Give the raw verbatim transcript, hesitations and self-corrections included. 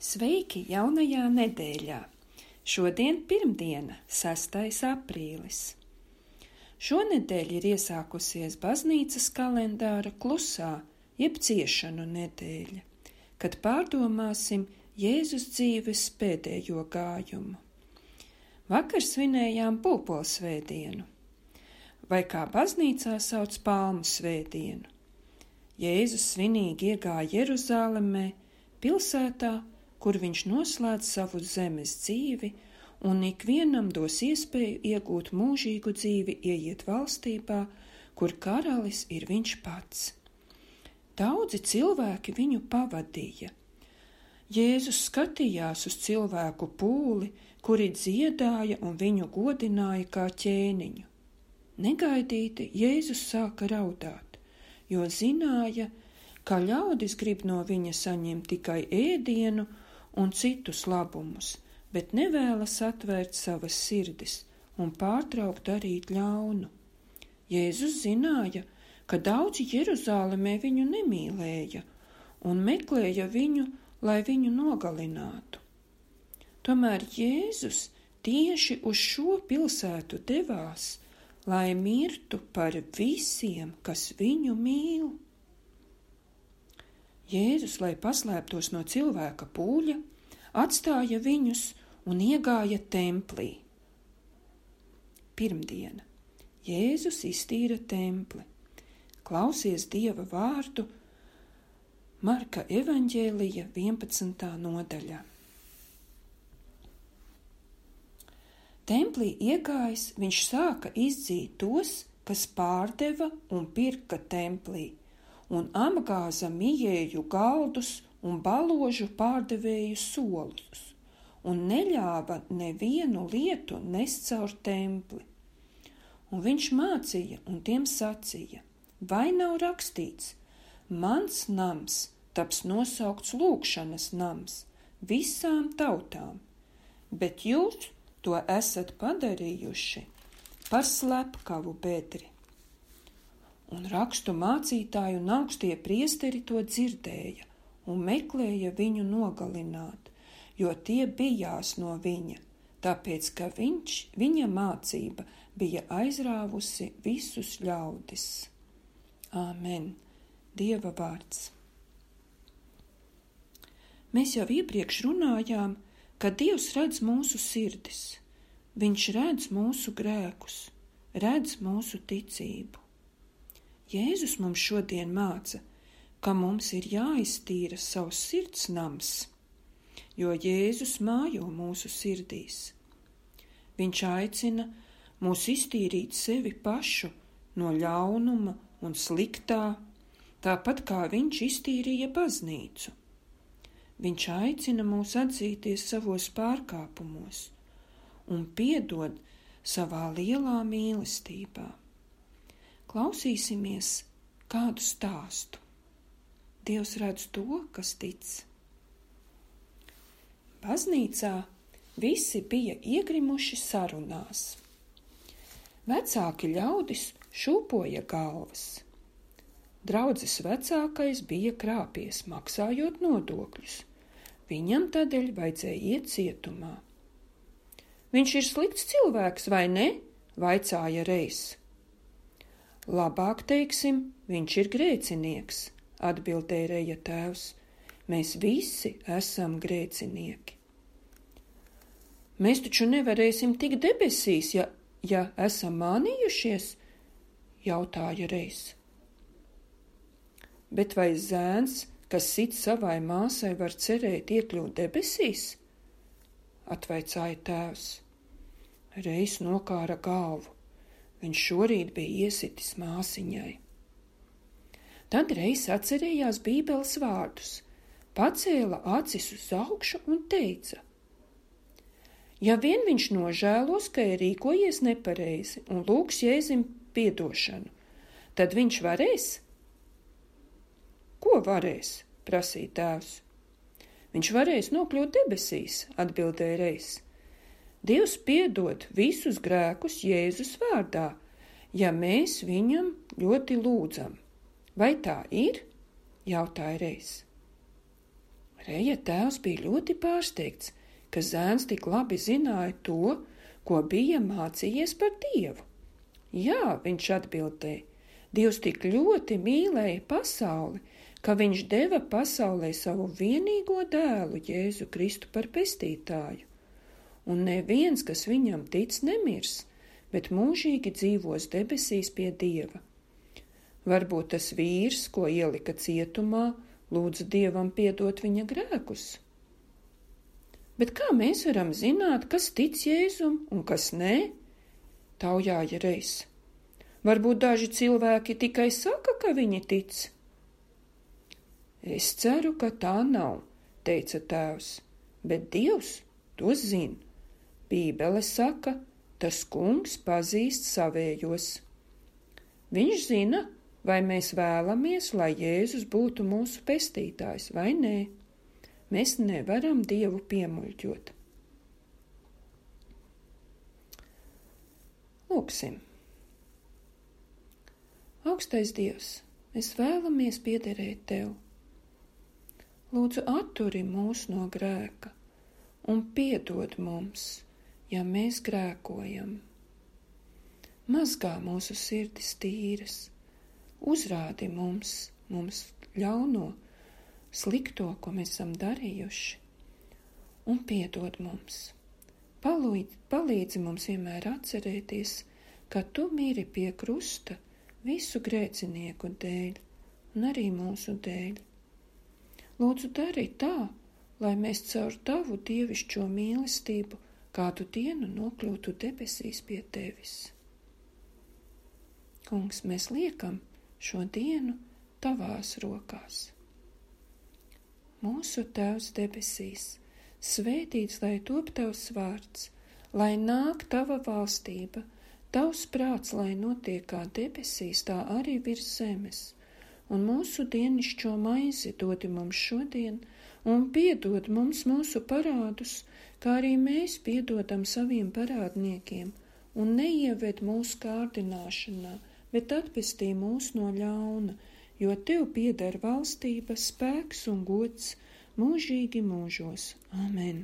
Sveiki jaunajā nedēļā! Šodien pirmdiena, sestais aprīlis. Šonedēļ ir iesākusies baznīcas kalendāra klusā, jeb ciešanu nedēļa, kad pārdomāsim Jēzus dzīves pēdējo gājumu. Vakar svinējām pulpolsvētdienu, vai kā baznīcā sauc palmu svētdienu. Jēzus svinīgi iegāja Jeruzālemē, pilsētā, kur viņš noslēdz savu zemes dzīvi un ikvienam dos iespēju iegūt mūžīgu dzīvi, ieiet valstībā, kur karalis ir viņš pats. Daudzi cilvēki viņu pavadīja. Jēzus skatījās uz cilvēku pūli, kuri dziedāja un viņu godināja kā ķēniņu. Negaidīti Jēzus sāka raudāt, jo zināja, ka ļaudis grib no viņa saņemt tikai ēdienu un citus labumus, bet nevēlas atvērt savas sirdis un pārtraukt darīt ļaunu. Jēzus zināja, ka daudzi Jeruzālemē viņu nemīlēja un meklēja viņu, lai viņu nogalinātu. Tomēr Jēzus tieši uz šo pilsētu devās, lai mirtu par visiem, kas viņu mīl. Jēzus, lai paslēptos no cilvēka pūļa, atstāja viņus un iegāja templī. Pirmdiena. Jēzus iztīra templi. Klausies Dieva vārdu Marka evaņģēlija vienpadsmitā nodaļā. Templī iegājis, viņš sāka izdzīt tos, kas pārdeva un pirka templī, un apgāza mijēju galdus un baložu pārdevēju solus, un neļāva nevienu lietu nest caur templi. Un viņš mācīja un tiem sacīja: vai nav rakstīts, mans nams taps nosaukts lūgšanas nams visām tautām, bet jūs to esat padarījuši par slepkavu bedri. Un rakstu mācītāji un augstie priesteri to dzirdēja un meklēja viņu nogalināt, jo tie bijās no viņa, tāpēc, ka viņš, viņa mācība bija aizrāvusi visus ļaudis. Āmen. Dieva vārds. Mēs jau iepriekš runājām, ka Dievs redz mūsu sirdis. Viņš redz mūsu grēkus, redz mūsu ticību. Jēzus mums šodien māca, ka mums ir jāiztīra savs sirds nams, jo Jēzus mājo mūsu sirdīs. Viņš aicina mūs iztīrīt sevi pašu no ļaunuma un sliktā, tāpat kā viņš iztīrīja baznīcu. Viņš aicina mūs atzīties savos pārkāpumos un piedod savā lielā mīlestībā. Klausīsimies kādu stāstu. Dievs redz to, kas tic. Baznīcā visi bija iegrimuši sarunās. Vecāki ļaudis šūpoja galvas. Draudzes vecākais bija krāpies, maksājot nodokļus. Viņam tādēļ vajadzēja iet cietumā. Viņš ir slikts cilvēks, vai ne? Vaicāja reiz. Labāk teiksim, viņš ir grēcinieks, atbildēja Reja tēvs. Mēs visi esam grēcinieki. Mēs taču nevarēsim tikt debesīs, ja, ja esam mānījušies, jautāja reiz. Bet vai zēns, kas sit savai māsai, var cerēt iekļūt debesīs? Atvaicāja tēvs. Reiz nokāra galvu. Viņš šorīt bija iesitis māsiņai. Tad reiz atcerējās Bībeles vārdus, pacēla acis uz augšu un teica: ja vien viņš nožēlos, ka ir rīkojies nepareizi un lūgs Jēzum piedošanu, tad viņš varēs? Ko varēs? Prasīja tēvs. Viņš varēs nokļūt debesīs, atbildēja reiz. Dievs piedod visus grēkus Jēzus vārdā, ja mēs viņam ļoti lūdzam. Vai tā ir? Jautāja reiz. Reja tēvs bija ļoti pārsteigts, ka zēns tik labi zināja to, ko bija mācījies par Dievu. Jā, viņš atbildēja, Dievs tik ļoti mīlēja pasauli, ka viņš deva pasaulē savu vienīgo dēlu Jēzu Kristu par pestītāju. Un neviens, kas viņam tic, nemirs, bet mūžīgi dzīvos debesīs pie Dieva. Varbūt tas vīrs, ko ielika cietumā, lūdza Dievam piedot viņa grēkus. Bet kā mēs varam zināt, kas tic Jēzum un kas nē? Taujāja Rejs. Varbūt daži cilvēki tikai saka, ka viņi tic. Es ceru, ka tā nav, teica tēvs, bet Dievs to zina. Bībele saka, tas kungs pazīst savējos. Viņš zina, vai mēs vēlamies, lai Jēzus būtu mūsu pestītājs vai nē. Mēs nevaram Dievu piemuļķot. Lūksim. Augstais Dievs, mēs vēlamies piederēt Tev. Lūdzu, atturi mūs no grēka un piedod mums, ja mēs grēkojam. Mazgā mūsu sirdis tīras, uzrādi mums, mums ļauno, slikto, ko mēs esam darījuši, un piedod mums. Palīdzi, palīdzi mums vienmēr atcerēties, ka Tu mīri pie krusta visu grēcinieku dēļ un arī mūsu dēļ. Lūdzu, dari tā, lai mēs caur Tavu dievišķo mīlestību kādu dienu nokļūtu debesīs pie Tevis. Kungs, mēs liekam šo dienu Tavās rokās. Mūsu Tēvs debesīs, svētīts lai top Tavs vārds, lai nāk Tava valstība, Tavs prāts, lai notiek kā debesīs, tā arī virs zemes, un mūsu dienišķo maizi dodi mums šodien, un piedod mums mūsu parādus, kā arī mēs piedodam saviem parādniekiem, un neieved mūsu kārdināšanā, bet atpestī mūs no ļauna, jo Tev pieder valstība, spēks un gods mūžīgi mūžos. Amen.